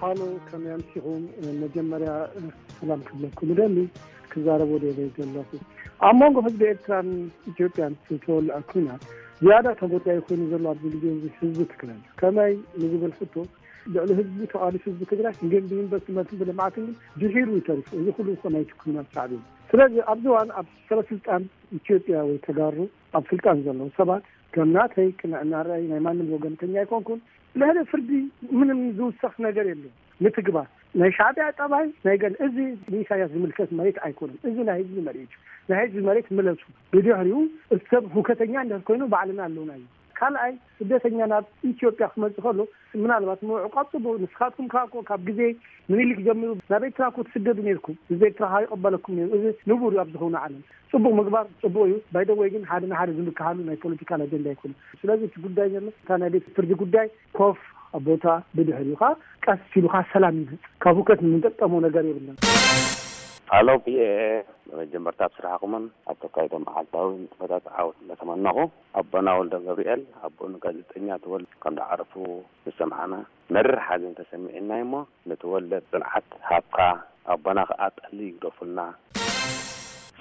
ሃሎ፣ ከመይ ኣምሲኹም? መጀመርያ ሰላም ክብለኩም እደሊ። ክዛረብ ወደ ዘለኹ፣ ኣብ መንጎ ህዝቢ ኤርትራን ኢትዮጵያን ዝተወልዐ ኲናት ዝያዳ ተጎዳኢ ኮይኑ ዘሎ ኣብዚ ግዜ እዚ ህዝቢ ትግራይ እዩ። ከመይ ንዝብል ሕቶ፣ ልዕሊ ህዝቢ ተቓሊሱ ህዝቢ ትግራይ ግን ብኢንቨስትመንትን ብልምዓትን ግን ድሒሩ ይተርፉ። እዚ ኩሉ እኮ ናይቲ ኲናት ሳዕቤን። ስለዚ ኣብዚ እዋን ኣብ ሰበስልጣን ኢትዮጵያ ወይ ተጋሩ ኣብ ስልጣን ዘለዉ ሰባት ከም ናተይ ቅንዕና ራእይ ናይ ማንም ወገንተኛ ኣይኮንኩን። ልዕሊ ፍርዲ ምንም ዝውሰኽ ነገር የለን። ምትግባር ናይ ሻዕቢያ ጠባይ ናይ ገለ፣ እዚ ንኢሳያስ ዝምልከት መሬት ኣይኮነን። እዚ ናይ ህዝቢ መሬት እዩ። ናይ ህዝቢ መሬት ምለሱ። ብድሕሪኡ ሰብ ሁከተኛ እንድሕር ኮይኑ ባዕልና ኣለውና እዩ። ካልኣይ ስደተኛ ናብ ኢትዮጵያ ክመጽእ ከሎ ምናልባት ምዕቋብ ጽቡቅ። ንስኻትኩም ካብ ካብ ግዜ ምኒልክ ጀሚሩ ናብ ኤርትራ እኮ ትስደዱ ነርኩም። ህዝቢ ኤርትራ ከኣ ይቐበለኩም ነይሩ። እዚ ንቡር እዩ ኣብ ዝኾነ ዓለም። ጽቡቅ ምግባር ጽቡቅ እዩ። ባይደወይ ግን ሓደ ንሓደ ዝምክሃሉ ናይ ፖለቲካል ኣጀንዳ ኣይኮነ። ስለዚ እቲ ጉዳይ ዘሎ እታ ናይ ቤት ፍርዲ ጉዳይ ኮፍ ኣብ ቦታ ብድሕሪኡ ከኣ ቀስ ኢሉ ከኣ ሰላም ይመጽእ። ካብ ሁከት ንጠቀሞ ነገር የብለን። ሃሎ ፒኤኤ፣ መጀመርታ ኣብ ስራሕኩምን ኣብ ተካይዶ መዓልታዊ ንጥፈታት ዓወት እንዳተመነኹ፣ ኣቦና ወልደ ገብርኤል ኣቦኡ ንጋዜጠኛ ተወልደ ከም ዝዓረፉ ዝሰምዓና መሪር ሓዘን ተሰሚዕና እሞ፣ ንተወልደ ጽንዓት ሃብካ፣ ኣቦና ከኣ ጠሊ ይግደፉልና።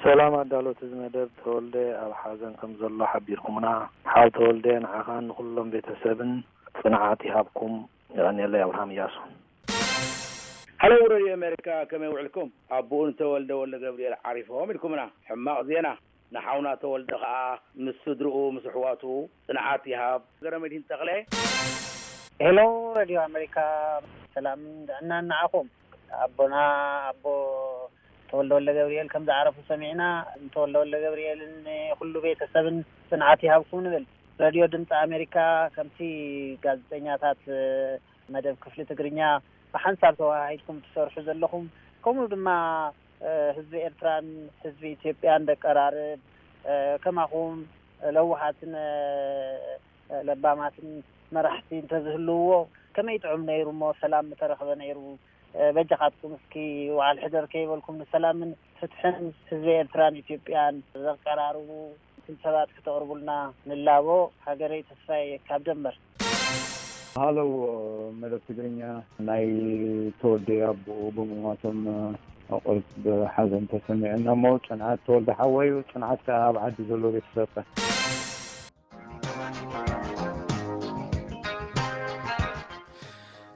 ሰላም ኣዳለውቲ እዚ መደብ፣ ተወልደ ኣብ ሓዘን ከም ዘሎ ሓቢርኩምና። ሓው ተወልደ ንዓኻን ንኹሎም ቤተሰብን ጽንዓት ይሃብኩም። የቐንየለይ። ኣብርሃም እያሱ። ሃሎ ሬድዮ ኣሜሪካ፣ ከመይ ውዕልኩም? ኣቦኡ ንተወልደ ወልደ ገብርኤል ዓሪፎም ኢልኩምና። ሕማቕ ዜና። ንሓውና ተወልደ ከኣ ምስ ስድርኡ ምስ ኣሕዋቱ ጽንዓት ይሃብ። ገረመድሂን ተኽለ። ሄሎ ሬድዮ ኣሜሪካ፣ ሰላምን ጥዕናን ንዓኹም። ኣቦና ኣቦ ተወልደ ወልደ ገብርኤል ከም ዝዓረፉ ሰሚዕና፣ ንተወልደ ወልደ ገብርኤልን ንኹሉ ቤተሰብን ጽንዓት ይሃብኩም ንብል። ሬድዮ ድምፂ ኣሜሪካ ከምቲ ጋዜጠኛታት መደብ ክፍሊ ትግርኛ ብሓንሳብ ተወሃሂድኩም ትሰርሑ ዘለኹም፣ ከምኡ ድማ ህዝቢ ኤርትራን ህዝቢ ኢትዮጵያን ደቀራርብ፣ ከማኹም ለዋሃትን ለባማትን መራሕቲ እንተዝህልውዎ ከመይ ጥዑም ነይሩ እሞ ሰላም ምተረኽበ ነይሩ። በጃኻትኩም እስኪ ውዓል ሕደር ከይበልኩም ንሰላምን ፍትሕን ህዝቢ ኤርትራን ኢትዮጵያን ዘቀራርቡ ምስል ሰባት ክተቕርቡልና ንላቦ። ሃገረይ ተስፋዬ ካብ ደንበር። ሃለው መደብ ትግርኛ፣ ናይ ተወልደ ኣቦኡ ብምሟቶም ኣቑርብ ሓዘን ተሰሚዑና እሞ፣ ጽንዓት ተወልደ ሓወዩ፣ ጽንዓት ከኣ ኣብ ዓዲ ዘሎ ቤተሰብካ።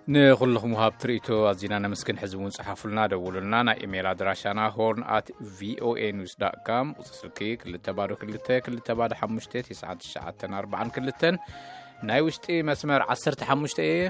ንኹልኹም ወሃብቲ ርእይቶ ኣዚና ነመስግን። ሕዚ እውን ጽሓፉልና፣ ደውሉልና። ናይ ኢሜይል ኣድራሻና ሆርን ኣት ቪኦኤ ኒውስ ዳት ካም፣ ቁጽሪ ስልኪ ክልተ ባዶ ክልተ ክልተ ባዶ ሓሙሽተ ትሽዓን ትሽዓተን ኣርባዓን ክልተን፣ ናይ ውሽጢ መስመር ዓሰርተ ሓሙሽተ እየ።